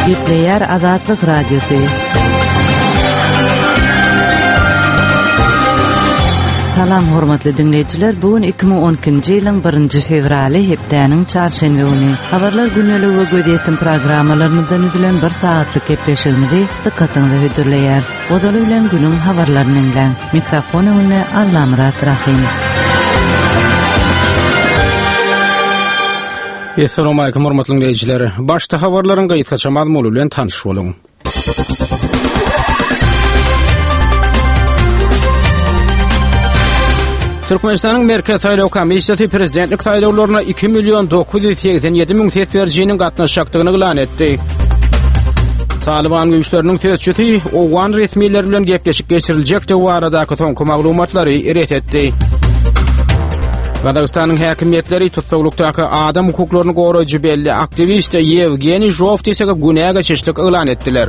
Gepleýär Azatlyk Radiosy. Salam hormatly diňleýjiler, bu gün 2012-nji ýylyň 1-nji fewraly, hepdäniň çarşenbe güni. Habarlar gündeligi we gözýetim programmalarymyzdan düzülen bir sagatlyk gepleşigimizi dykgatyňyza hödürleýäris. Ozaly bilen günüň habarlaryny diňläň. Mikrofon öňünde Allamyrat Rahym. Essalamu hormatly diňleýjiler. Başda habarlaryň gysgaça mazmuny bilen tanyş boluň. Türkmenistanyň Merkezi saýlaw komissiýasy prezidentlik saýlawlaryna 2 million 987 müň ses berijiniň gatnaşjakdygyny yglan etdi. Talyban güýçleriniň sözçüsi owgan resmileri bilen gepleşik geçiriljekdigi baradaky soňky maglumatlary ret etdi. Gazagystanyň häkimiýetleri tussaglykdaky adam hukuklaryny goraýjy belli aktiwist Ýewgeniý Žowtisege günä geçişlik yglan etdiler.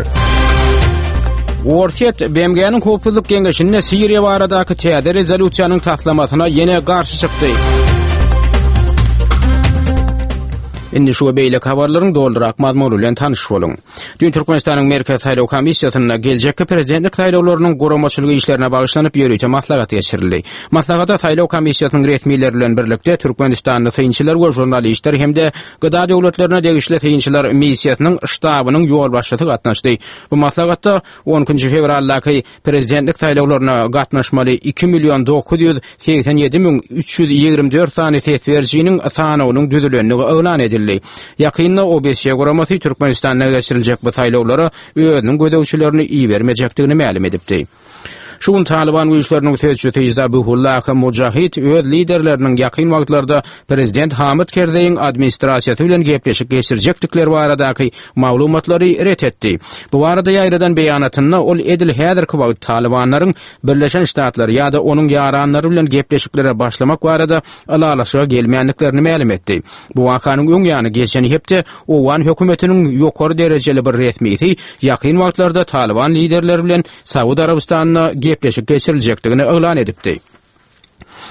Orsýet BMG-niň Howpsuzlyk Geňeşinde Siriýa baradaky täze rezolýusiýanyň taslamasyna ýene garşy çykdy. Indi şu we beýleki habarlaryň dolurak mazmuny bilen tanyş boluň. Düýn Türkmenistanyň Merkezi saýlaw komissiýasynda geljekki prezidentlik saýlawlarynyň guramaçylyk işlerine bagyşlanyp ýörite maslahat geçirildi. Maslahata saýlaw komissiýasynyň resmileri bilen birlikde türkmenistanly synçylar we žurnalistler hem-de GDA döwletlerine degişli synçylar missiýasynyň ştabynyň ýolbaşçysy gatnaşdy. Bu maslahatda on ikinji fewraldaky prezidentlik saýlawlaryna gatnaşmaly 2 million 987 müň 324 sany ses berijiniň sanawynyň düzülendigi yglan edildi. Ýakynda OBSE guramasy Türkmenistanda geçiriljek bu saýlawlara özüniň gözegçilerini ibermejekdigini mälim edipdi. Şu gün Talyban güýçleriniň sözçüsi Zabihullah Mujahid öz liderleriniň ýakyn wagtlarda prezident Hamid Kerzeýiň administrasiýasy bilen gepleşik geçirjekdikleri baradaky maglumatlary ret etdi. Bu barada ýaýradan beýanatynda ol edil häzirki wagt Talybanlaryň Birleşen Ştatlar ýa-da onuň ýaranlary bilen gepleşiklere başlamak barada ylalaşyga gelmändiklerini mälim etdi. Bu wakanyň öň ýany geçen hepde owgan hökümetiniň ýokary derejeli bir resmisi ýakyn wagtlarda Talyban liderleri bilen Saud Arabystanynda gepleşik geçiriljekdigini yglan edipdi.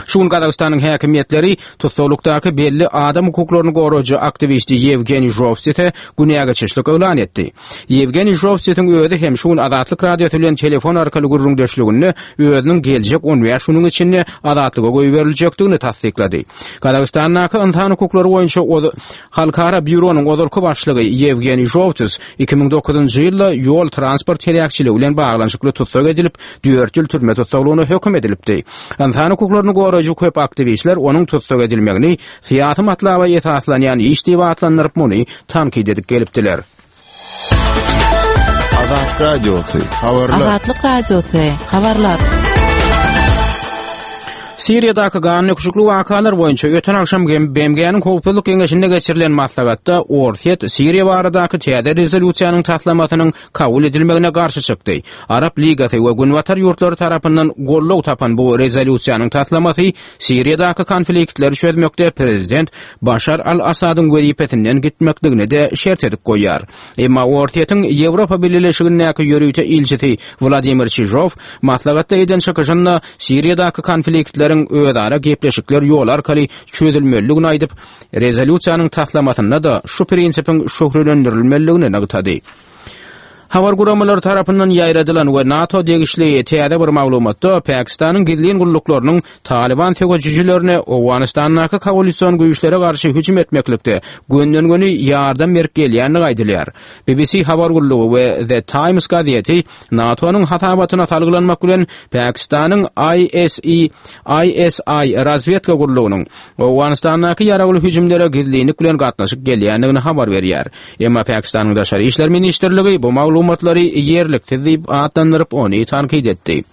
Şu gün Gazagystanyň häkimiýetleri tussaglykdaky belli adam hukuklaryny goraýjy aktiwisti Ýewgeniý Žowsise günä geçişlik yglan etdi. Ýewgeniý Žowsisiň özi hem şu gün Azatlyk Radiosy bilen telefon arkaly gürrüňdeşliginde özüniň geljek 15 günüň içinde azatlyga goýberiljekdigini tassyklady. Gazagystandaky ynsan hukuklary boýunça Halkara býuronyň ozalky başlygy Ýewgeniý Žowtis 2009-njy ýylda ýol-transport heläkçiligi bilen baglanyşykly tussag edilip, dört ýyl türme tussaglygyna höküm edilipdi. Ynsan hukuklaryny goraýjy köp aktiwistler onuň tussag edilmegini syýasy matlaba esaslanýan iş diýip atlandyryp, muny tankyt edip gelipdiler. Azatlyk Radiosy, habarlar. Azatlyk Radiosy, habarlar. Siriýadaky gandöküşikli wakalar boýunça öten agşam BMG-niň Howpsuzlyk Geňeşinde geçirilen maslahatda Orsýet Siriýa baradaky täze rezolýusiýanyň taslamasynyň kabul edilmegine garşy çykdy. Arap Ligasy we Günbatar ýurtlary tarapyndan goldaw tapan bu rezolýusiýanyň taslamasy Siriýadaky konfliktleri çözmekde prezident Başar al-Assadyň wezipesinden gitmekligini-de şert edip goýýar. Emma Orsýetiň Ýewropa Bileleşigindäki ýörite ilçisi Wladimir Çižow maslahatda eden çykyşynda Siriýadaky konfliktleriň özara gepleşikler ýoly arkaly çözülmelidigini aýdyp, rezolýusiýanyň taslamasynda-da şu prinsipiň şöhlelendirilmelidigini nygtady. Habar guramalary tarapyndan ýaýradylan we NATO degişli täze bir maglumatda Pakistanyň gizlin gulluklarynyň Talyban söweşijilerine Owganystandaky koalision güýçlere garşy hüjüm etmeklikde gönden-göni ýardam berip gelýändigi aýdylýar. BBC habar gullugy we The Times gazeti NATO-nyň hasabatyna salgylanmak bilen Pakistanyň ISI ISI razwedka gullugynyň Owganystandaky ýaragly hüjümlere gizlinlik bilen gatnaşyp gelýändigini habar berýär. Emma Pakistanyň Daşary işler ministrligi bu maglumatlary ýerliksiz diýip atlandyryp, ony tankyt etdi.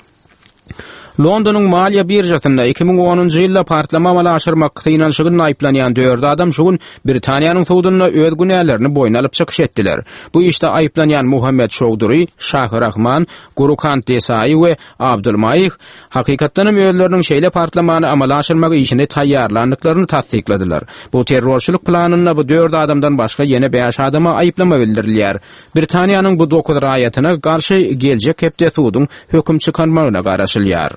Londonyň maliýe biržasynda 2010-njy ýylda partlama amala aşyrmak synanyşygynda aýyplanýan dört adam şu gün Britaniýanyň sudunda öz günälerini boýun alyp çykyş etdiler. Bu işde aýyplanýan Muhammed Çowdury, Şah Rahman, Gurukant Desai we Abdul Maih Hakykatdanam özleriniň şeýle partlamany amala aşyrmak işini taýýarlandyklaryny tassykladylar. Bu terrorçylyk planynda bu dört adamdan başga ýene bäş adama aýyplama bildirilýär. Britaniýanyň bu dokuz raýatyna garşy geljek hepde suduň höküm çykarmagyna garaşylýar.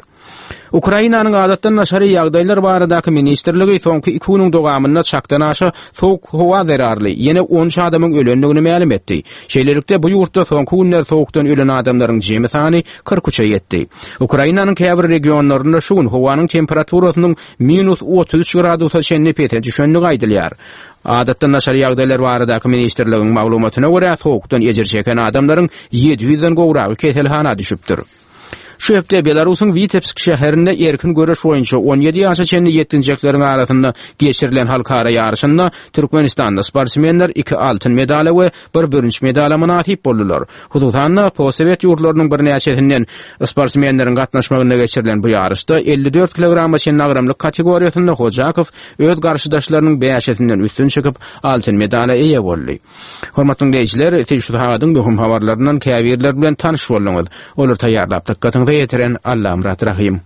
Ukrainanyň Adatdan daşary ýagdaýlar baradaky ministrligi soňky iki günüň dowamynda çakdan aşa sowuk howa zerarly ýene 13 adamyň ölendigini mälim etdi. Şeýlelikde, bu ýurtda soňky günler sowukdan ölen adamlaryň jemi sany 43-e ýetdi. Ukrainanyň käbir regionlarynda şu gün howanyň temperaturasynyň minus 33 gradusa çenli pese düşendigi aýdylýar. Adatdan daşary ýagdaýlar baradaky ministrligiň maglumatyna görä, sowukdan ejir çeken adamlaryň 700-den gowragy keselhana düşüpdir. Şu hepde Belarusyň Witebsk şäherinde erkin göreş boýunça 17 ýaşa çenli ýetginjekleriň arasynda geçirilen halkara ýaryşynda Türkmenistanda sportsmenler iki altyn medala we bir bürünç medala mynasyp boldular. Hususan-da, postsowet ýurtlarynyň birnäçesinden sportsmenleriň gatnaşmagynda geçirilen bu ýaryşda 54 kilograma çenli agramlyk kategoriýasynda Hojakow öz garşydaşlarynyň bäşisinden üstün çykyp, altyn medala eýe boldy. Hormatly diňleýjiler, siz şu sagadyň möhüm habarlaryndan käbirleri bilen tanyş bolduňyz. Olary taýýarlap dykgatyňyza ýetiren Allamyrat Rahym.